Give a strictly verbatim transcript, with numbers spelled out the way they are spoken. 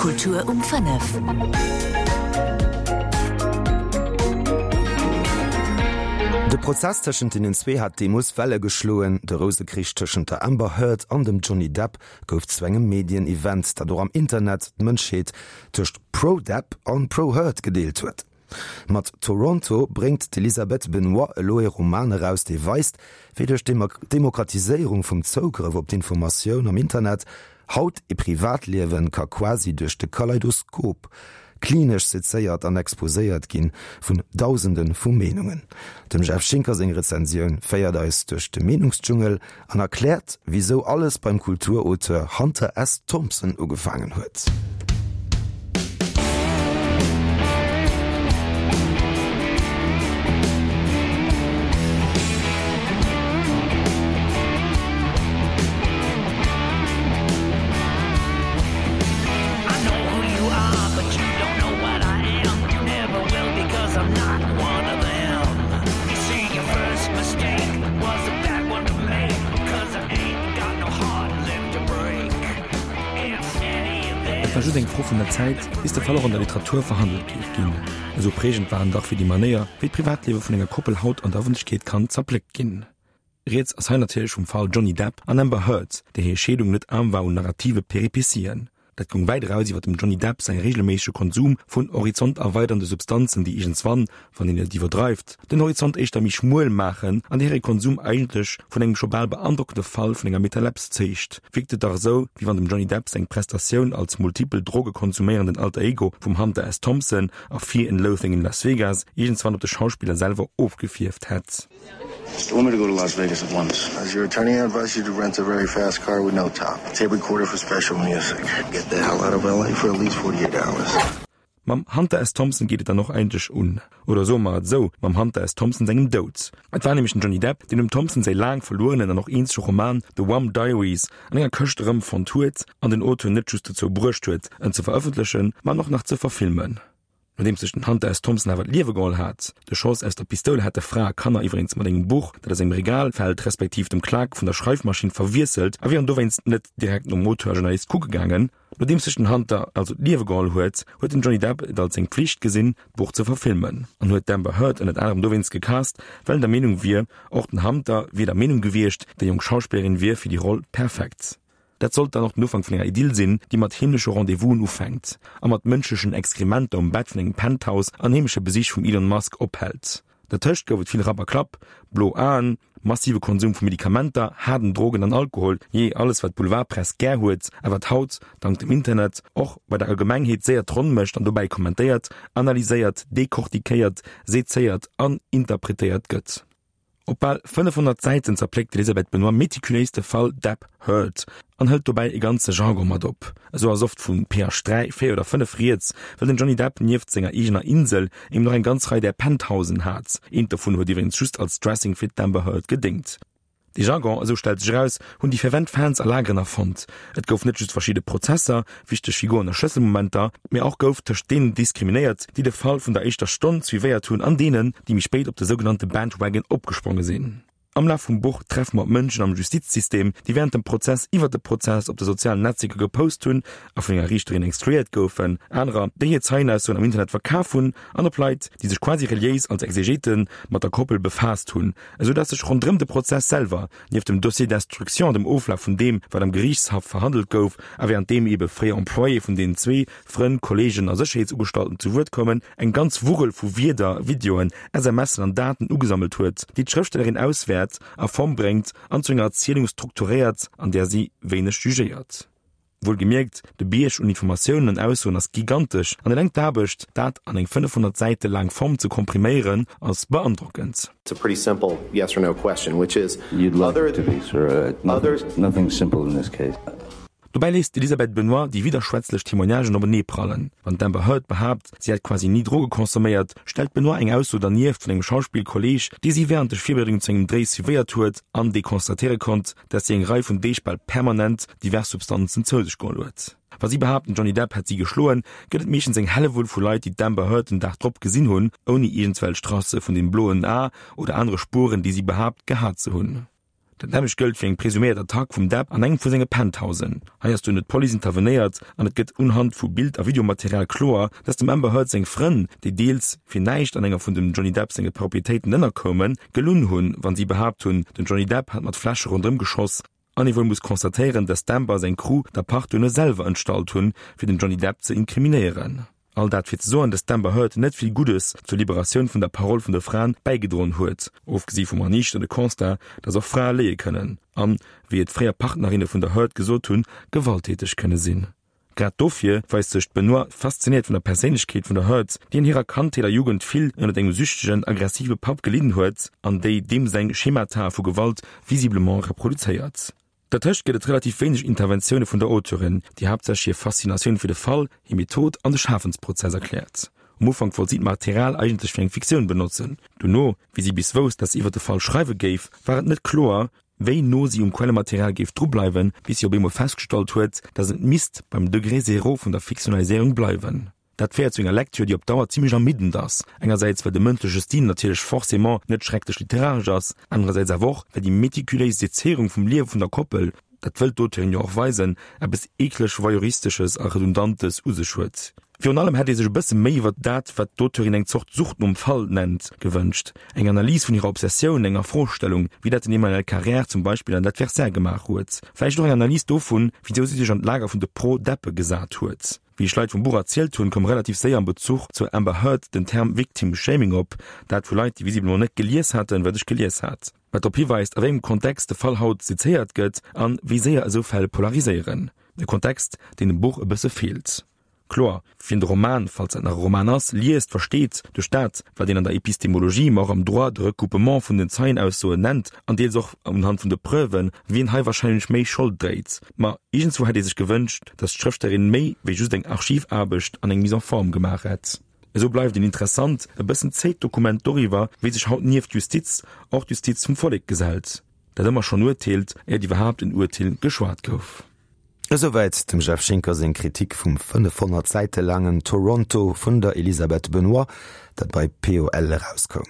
Kultur um fënnef. De Prozess tëschent deenen zwee hat deemools Welle geschloen. De Rousekrich tëschent der Amber Heard an dem Johnny Depp gouf zu engem Medien-Event, dat och am Internet d'Mënschheet tëscht Pro-Depp an Pro-Heard gedeelt huet. Mat Toronto bréngt d'Elisabeth Benoit elo ee Roman eraus, dee weist, wéi duerch d'Demokratiséierung vum Zougrëff op d'Informatioun am Internet haut ee Privatliewe ka quasi duerch de Kaleidoskop klinesch sezéiert an exposéiert ginn vun Dausende vu Meenungen. Dem Jeff Schinker seng Rezensioun féiert eis duerch de Meenungsdschungel an erkläert, wisou alles beim Kulturauteur Hunter S. Thompson ugefaangen huet. Et war just eng Fro vun der Zäit, bis de Fall och an der Literatur verhandelt géif ginn. Esou prägend war en dach fir déi Manéier, wéi d'Privatliewe vun enger Koppel haut an der Ëffentlechkeet kann zerpléckt ginn. Rieds ass hei natierlech vum Fall Johnny Depp an Amber Heard, där hir Scheedung net aarm war un narrative Peripetien. Dat goung wäit eraus iwwer dem Johnny Depp säi reegelméissege Konsum vun horizonterweiderende Substanzen, déi iergendswann, wann een et iwwerdreift, den Horizont éischter méi schmuel maachen an där hire Konsum eigentlech vun engem scho bal beandrockende Fall vun enger Metalepse zeegt, wierkt et dach esou, wéi wann dem Johnny Depp seng Prestatioun als multipel drogekonsuméierenden Alter Ego vum Hunter S. Thompson a Fear and Loathing in Las Vegas iergendswann op de Schauspiller selwer ofgefierft hätt. I want me to go to Las Vegas at once. As your attorney, I advise you to rent a very fast car with no top. Tape recorder for special music. Get the hell out of L A for at least forty-eight hours. Mam Hunter S. Thompson geet et dann och eigentlech un. Oder soe mer et esou, mam Hunter S. Thompson sengem Doud. Et war nämlech den Johnny Depp, deen dem Thompson säi laang verluerenen an och eenzege Roman The Wham Diaries an enger Këscht erëmfonnt huet an den Auteur net just dozou bruecht huet, en ze verëffentlechen, ma en och nach ze verfilmen. Nodeems sech den Hunter S. Thompson awer d'Liewe geholl hat, de Schoss aus der Pistoul hat de Fra a Kanner iwweregens mat engem Buch, dat a sengem Regal fält, respektiv dem Klak vun der Schreifmaschinn verwiesselt a wieren dowéinst net direkt nom Auteur a Journalist kucke gaangen. Nodeems sech den Hunter also d'Liewe geholl huet, huet den Johnny Depp et als seng Pflicht gesinn, d'Buch ze verfilmen an huet d'Amber Heard ënnert anerem dowéinst gecast, well en der Meenung wier, och den Hunter wier der Meenung gewiescht, déi jonk Schauspillerin wier fir déi Roll perfekt. Dat sollt dann och den Ufank vun enger Idyll sinn, déi mat heemleche Rendez-vousen ufänkt a mat mënschlechen Exkrementer um Bett vun engem Penthouse an heemleche Besich vum Elon Musk ophält. Dertëscht gouf et vill Rapp a Klapp, blo Aen, massive Konsum vu Medikamenter, haarden Drogen an Alkohol, jee, alles wat d'Boulevardpress gär huet a wat haut, dank dem Internet, och bei der Allgemengheet séier d'Ronn mécht an dobäi kommentéiert, analyséiert, dekortikéiert, sezéiert an interpretéiert gëtt. Op bal fënnefhonnert Säiten zerpléckt d'Elisabeth Benoit metikuléis de Fall Depp-Heard an hëlt dobäi e ganze Jargon mat op. Esou ass oft vu P H dräi, véier oder fënnef rieds, well den Johnny Depp nieft senger eegener Insel eben och eng ganz Rei där Penthousen hat. Eent dovun huet iwwregens just als Dressing fir d'Amber Heard gedéngt. Dee Jargon, esou stellt sech eraus, hunn déi fervent Fans a Lageren erfonnt. Et gouf net just verschidde Prozesser, wichteg Figuren a Schlësselmomenter, mee och gouf tëscht deenen diskriminéiert, déi de Fall vun der éischter Stonn suivéiert hunn an deenen, déi méi spéit op de sougenannte Bandwagon opgespronge sinn. Am Laf vum Buch treffe mer op Mënschen am Justizsystem, déi wärend dem Prozess iwwer de Prozess op de sozialen Netzwierker gepost hunn a vun enger Riichterin excluéiert goufen, anerer, déi hir Zeienaussoen am Internet verkaf hunn an op Leit, déi sech quasi reliéis als Exegete mat der Koppel befaasst hunn, esou dass sech ronderëm de Prozess selwer, nieft dem Dossier d'instruction, dem Oflaf vun deem, wat am Geriichtshaff verhandelt gouf a wärend deem eebe fréier Employéë vun deenen zwee, Frënn, Kolleegen a Sécherheetsugestalten zu Wuert koumen, eng ganz Wurrel vu Wierder, Videoen, SMSen an Daten ugesammelt huet, déi d'Schrëftstellerin auswäert, a Form bréngt an zu enger Erzielung strukturéiert, an där si wéineg jugéiert. Wuelgemierkt, de Bierg un Informatiounen an Aussoen ass gigantesch an eleng d'Aarbecht, dat an eng fënnefhonnert Säite laang Form ze kompriméieren, ass beandrockend. It's a pretty simple yes or no question, which is You'd like other it to be, sir. Uh, other nothing, nothing's simple in this case. Dobäi léisst d'Elisabeth Benoit déi widderschwätzlech Témoignagen openee prallen. Wann d'Amber Heard behaapt, si hätt quasi ni Droge consomméiert, stellt d'Benoit eng Ausso dernieft vun engem Schauspillkolleeg, dee si wärend de Virbereedungen zu engem Dréi suivéiert huet an dee constatéiere konnt, dass si eng Rei vun Deeg bal permanent divers Substanzen zou sech geholl huet. Wa si behaapt, den Johnny Depp hätt si geschloen, gëtt et meeschtens eng Hellewull vu Leit, déi d'Amber Heard den Dag drop gesinn hunn, ouni iergendswelch Tracë vun dem bloen A oder anere Spueren, déi si behaapt gehat ze hunn. Dat nämmlecht gëllt fir eng presuméiert Attack vum Depp an engem vu senge Penthousen. Hei ass duerno d'Police intervenéiert an et gëtt unhand vu Bild a Videomaterial kloer, dass dem Amber Heard seng Frënn, déi deels fir näischt an enger vun dem Johnny Depp senge Proprietéiten ënnerkoumen, gelunn hunn, wann si behaapt hunn, den Johnny Depp hätt mat Fläsche ronderëm geschoss. An ee wuel muss constatéieren, dass d'Amber seng Crew d'Apart duerno selwer entstallt hunn, fir den Johnny Depp ze inkriminéieren. All dat fir ze soen, dass d'Amber Heard net vill Guddes zur Liberatioun vun der Parole vun de Fraen bäigedroen huet, ofgesi vum erniichternde Constat, dass och Frae léie kënnen an, wéi et fréier Partnerinne vun der Heard gesot hunn, gewalttäteg kënne sinn. Grad dofir weist sech d'Benoit fasziniert vun der Perséinlechkeet vun der Heard, déi an hirer Kandheet a Jugend vill ënnert engem süchtegen, aggressive Papp gelidden huet an déi deem seng Schemata vu Gewalt visiblement reproduzéiert. Dertëscht gëtt et relativ wéineg Interventioune vun der Auteurin, déi haaptsächlech hir Faszinatioun fir de Fall, hir Method an de Schafensprozess erkläert. Um Ufank wollt si d'Material eigentlech fir eng Fiktioun benotzen. Dono, wéi si bis wousst, dass si iwwer de Fall schreiwe géif, war et net kloer, wéi no si um Quellematerial géif dru bleiwen, bis si op eemol festgestallt huet, dass et misst beim Degré zéro vun der Fiktionaliséierung bleiwen. Dat féiert zu enger Lektür, déi op Dauer zimlech ermiddend ass, engersäits well de mëndleche Stil natierlech forcément net schrecklech literaresch ass, anerersäits awer och, well déi metikuléis Sezéierung vum Liewe vun der Koppel, dat wëllt d'Auteurin jo och weisen, eppes eekleg Voyeuristesches a Redundantes u sech huet. Virun allem hätt ee sech e bësse méi iwwer dat, wat d'Auteurin eng Zort Sucht nom Fall nennt, gewënscht, eng Analys vun hirer Obsessioun, eng Afrostellung, wéi dat den Emmanuel Carrère zum Beispill an L'Adversaire gemaach huet, vläicht och eng Analys dovun, wisou si sech an d'Lager vun de Pro-Deppe gesat huet. Wéi ech Leit vum Buch erzielt hunn, koum relativ séier am Bezuch zur Amber Heard den Term Victim Shaming op, dat vu Leit, déi visiblement net gelies haten, wat ech gelies hat. Wat drop hiweist, a wéi engem Kontext de Fall haut sezéiert gëtt an wéi séier esou Fäll polariséieren. E Kontext, deen dem Buch e bësse feelt. Kloer, wien de Roman, falls dat nach e Roman ass, liest, versteet duerch dat, wat een an der Epistemologie, ma och am Droit de Recoupement vun den Zeienaussoen nennt, an deels och unhand vun de Preuven, wien hei warscheinlech méi Schold dréit. Ma iergendswou hätt ee sech gewënscht, datt d'Schrëftstellerin méi wéi just eng Archivaarbecht an eng Mise en forme gemaach hätt. Esou bleift en interessant, e bëssen zéit Dokument doriwwer, wéi sech haut nieft Justiz och d'Justiz vum Vollek gesellt, dat ëmmer schonn urteelt, éiert iwwerhaapt en Urteel geschwat gouf. Esouwäit dem Jeff Schinker seng Kritik vum fënnefhonnert Säite laangen Toronto vun der Elisabeth Benoit, dat bei P O L erauskoum.